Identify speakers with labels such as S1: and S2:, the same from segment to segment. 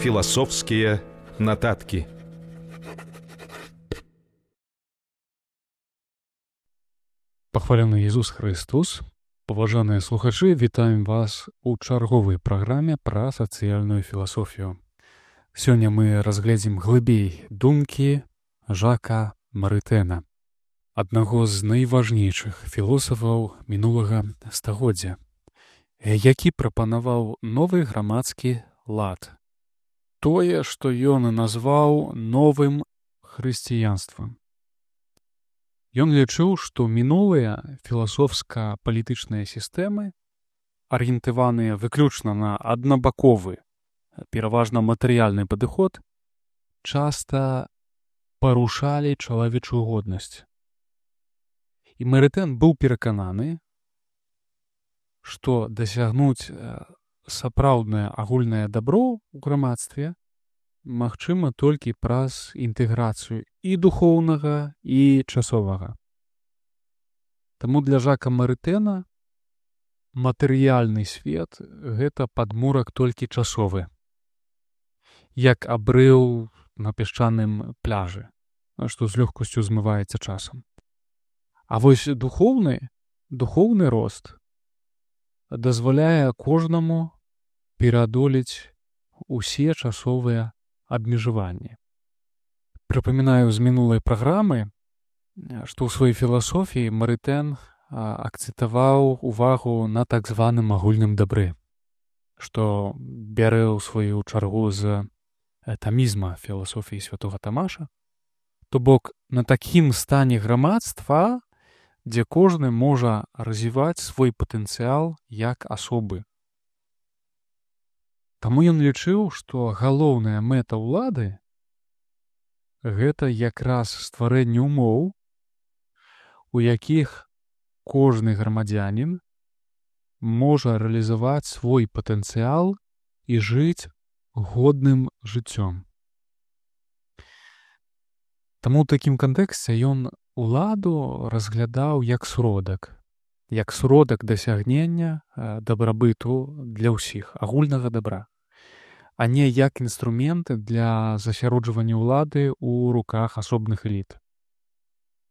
S1: Філасофскія нататкі.
S2: Пахвалены Ісус Христос, паважаныя слухачы, вітаем вас у чарговай праграме пра сацыяльную філасофію. Сёння мы разгледзім глыбей думкі Жака Марытэна, аднаго з найважнейшых філосафаў мінулага стагоддзя, які прапанаваў новы грамадскі лад. Тое, што ён назваў новым хрысціянствам. Ён лічыў, што мінулыя філасофска-палітычныя сістэмы, арыентаваныя выключна на аднабаковы, пераважна матэрыяльны падыход, часта парушалі чалавечую годнасць. І Марытэн быў перакананы, што дасягнуць сапраўднае агульнае дабро ў грамадстве магчыма толькі праз інтэграцыю і духоўнага, і часовага. Таму для Жака Марытэна матэрыяльны свет — гэта падмурак толькі часовы, як абрыў на пясчаным пляжы, што з лёгкасцю змываецца часам. А вось духоўны рост дазваляе кожнаму пераадолець усе часовыя абмежаванні. Прыпамінаю з мінулай праграмы, што ў сваёй філасофіі Марытэн акцэнтаваў увагу на так званым агульным дабры, што бярэ ў сваю чаргу з тамізма філасофіі святога Тамаша, то бок на такім стане грамадства, дзе кожны можа развіваць свой патэнцыял як асобы. Таму ён лічыў, што галоўная мэта ўлады — гэта якраз стварэнне ўмоў, у якіх кожны грамадзянін можа рэалізаваць свой патэнцыял і жыць годным жыццём. Таму ў такім кантэксце ён уладу разглядаў як сродак дасягнення дабрабыту для ўсіх, агульнага дабра, а не як інструмент для засяроджвання ўлады ў руках асобных эліт.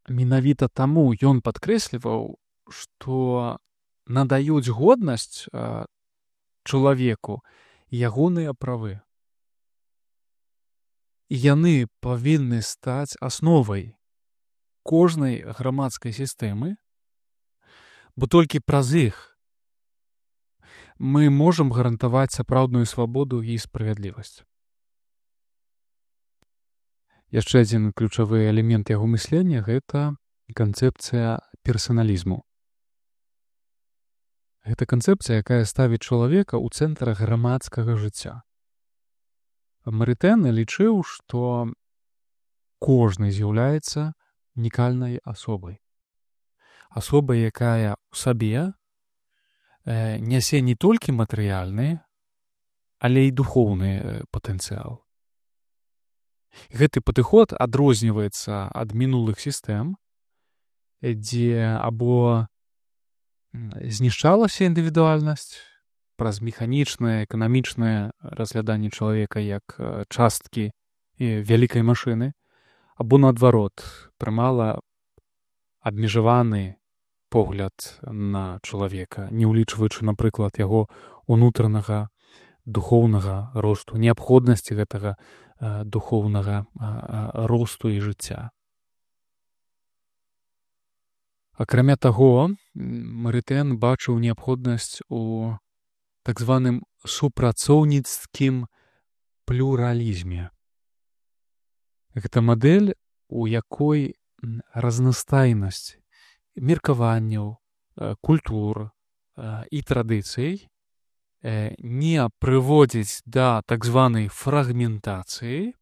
S2: Менавіта таму ён падкрэсліваў, што надаюць годнасць чалавеку ягоныя правы. І яны павінны стаць асновай кожнай грамадскай сістэмы, бо толькі праз іх мы можам гарантаваць сапраўдную свабоду і справядлівасць. Яшчэ адзін ключавы элемент яго мыслення — гэта канцэпцыя персаналізму. Гэта канцэпцыя, якая ставіць чалавека ў цэнтр грамадскага жыцця. Марытэн лічыў, што кожны з'яўляецца унікальнай асобай. Асобай, якая ў сабе нясе не толькі матэрыяльны, але і духоўны патэнцыял. Гэты падыход адрозніваецца ад мінулых сістэм, дзе або знішчалася індывідуальнасць праз механічнае, эканамічнае разгляданне чалавека як часткі вялікай машыны, або наадварот, прымала абмежаваны погляд на чалавека, не ўлічваючы, напрыклад, яго унутранага духоўнага росту, неабходнасці гэтага духоўнага росту і жыцця. Акрамя таго, Марытэн бачыў неабходнасць у так званым супрацоўніцкім плюралізме. Гэта мадэль, у якой разнастайнасць меркаванняў, культур і традыцый не прыводзіць да так званай фрагментацыі,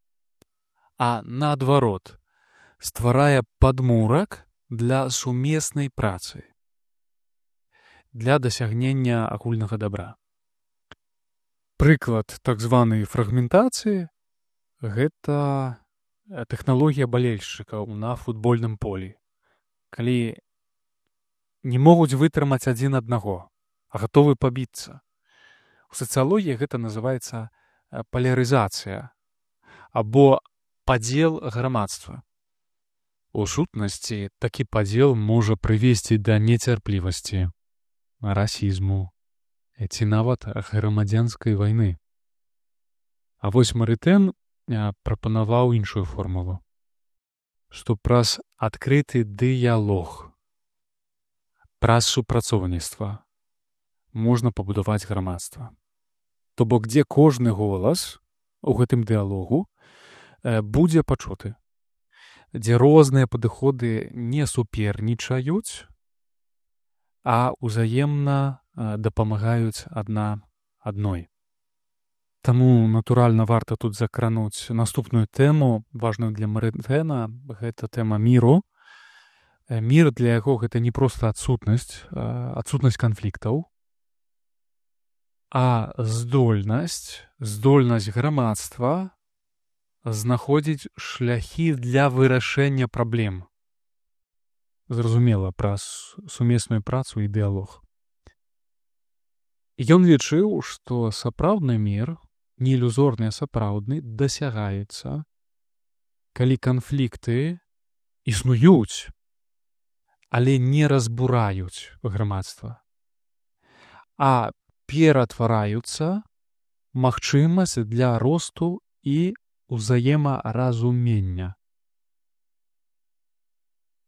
S2: а наадварот, стварае падмурак для сумеснай працы, для дасягнення агульнага дабра. Прыклад так званай фрагментацыі — гэта тэхналогія балельшчыкаў на футбольным полі, калі не могуць вытрымаць адзін аднаго, а гатовы пабіцца. У сацыялогіі гэта называецца палярызацыя або падзел грамадства. У сутнасці такі падзел можа прывесці да нецярплівасці, расізму ці нават грамадзянскай вайны. А вось Марытэн прапанаваў іншую формулу, што праз адкрыты дыялог, праз супрацоўніцтва можна пабудаваць грамадства. То бок, дзе кожны голас у гэтым дыялогу будзе пачуты, дзе розныя падыходы не супернічаюць, а ўзаемна дапамагаюць адна адной. Таму, натуральна, варта тут закрануць наступную тэму, важную для Марытэна, гэта тэма міру. Мір для яго гэта не проста адсутнасць канфліктаў, а здольнасць грамадства знаходзіць шляхі для вырашэння праблем. Зразумела, праз сумесную працу і дыялог. Ён лічыў, што сапраўдны мір, не ілюзорны, а сапраўдны, дасягаецца, калі канфлікты існуюць, але не разбураюць грамадства, а ператвараюцца магчымасць для росту і ўзаемаразумення.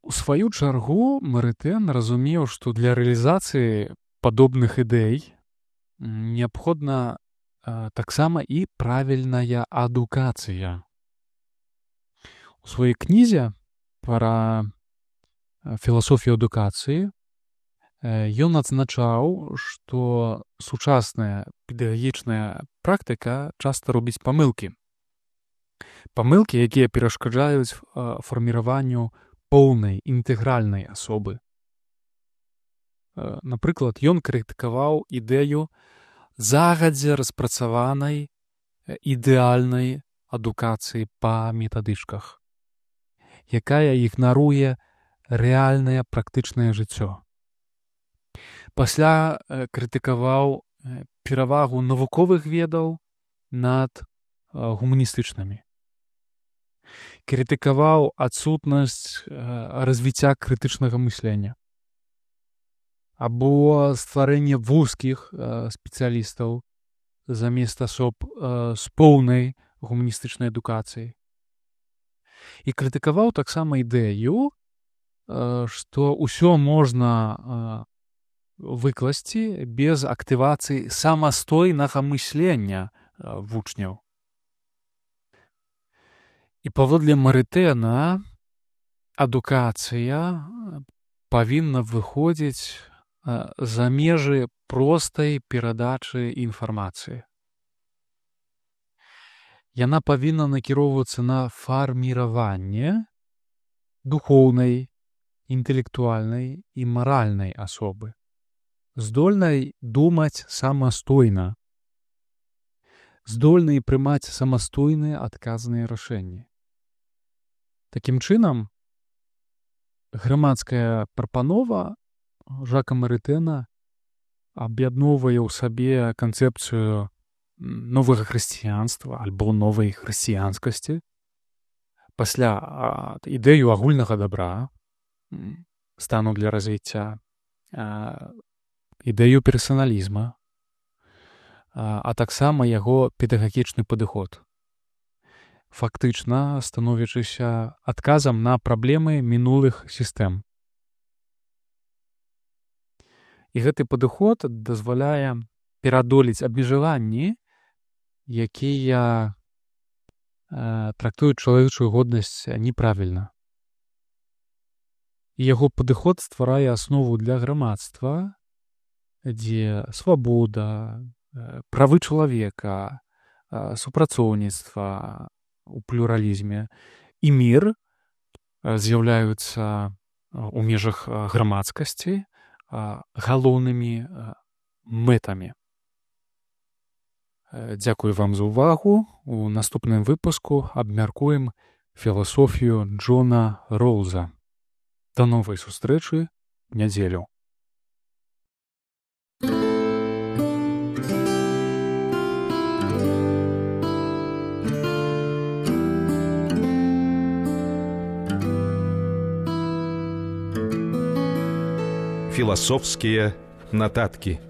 S2: У сваю чаргу Марытэн разумеў, што для рэалізацыі падобных ідэй неабходна таксама і правільная адукацыя. У сваёй кнізе пра філасофію адукацыі ён адзначаў, што сучасная педагагічная практыка часта робіць памылкі. Памылкі, якія перашкаджаюць фарміраванню поўнай інтэгральнай асобы. Напрыклад, ён крытыкаваў ідэю загадзя распрацаванай ідэальнай адукацыі па метадычках, якая ігнаруе рэальнае практычнае жыццё. Пасля крытыкаваў перавагу навуковых ведаў над гуманістычнымі. Крытыкаваў адсутнасць развіцця крытычнага мыслення або стварэнне вузкіх спецыялістаў замест асоб з поўнай гуманістычнай адукацыяй. І крытыкаваў таксама ідэю, што ўсё можна выкласці без актывацыі самастойнага мыслення вучняў. І паводле Марытэна адукацыя павінна выходзіць за межы простай перадачы інфармацыі. Яна павінна накіроўвацца на фарміраванне духоўнай, інтэлектуальнай і маральнай асобы, здольнай думаць самастойна, здольнай прымаць самастойныя адказныя рашэнні. Такім чынам, грамадская прапанова Жака Марытэна аб'ядноўвае ў сабе канцэпцыю новага хрысціянства альбо новай хрысціянскасці, пасля ідэю агульнага дабра, стану для развіцця, ідэю персаналізма, а таксама яго педагагічны падыход, фактычна становячыся адказам на праблемы мінулых сістэм. І гэты падыход дазваляе пераадолець абмежаванні, якія трактуюць чалавечую годнасць неправільна. І яго падыход стварае аснову для грамадства, дзе свабода, правы чалавека, супрацоўніцтва у плюралізме і мір з'яўляюцца ў межах грамадскасці галоўнымі мэтамі. Дзякую вам за ўвагу. У наступным выпуску абмяркуем філасофію Джона Роўза. До новай сустрэчы ў нядзелю.
S1: Философские нотатки.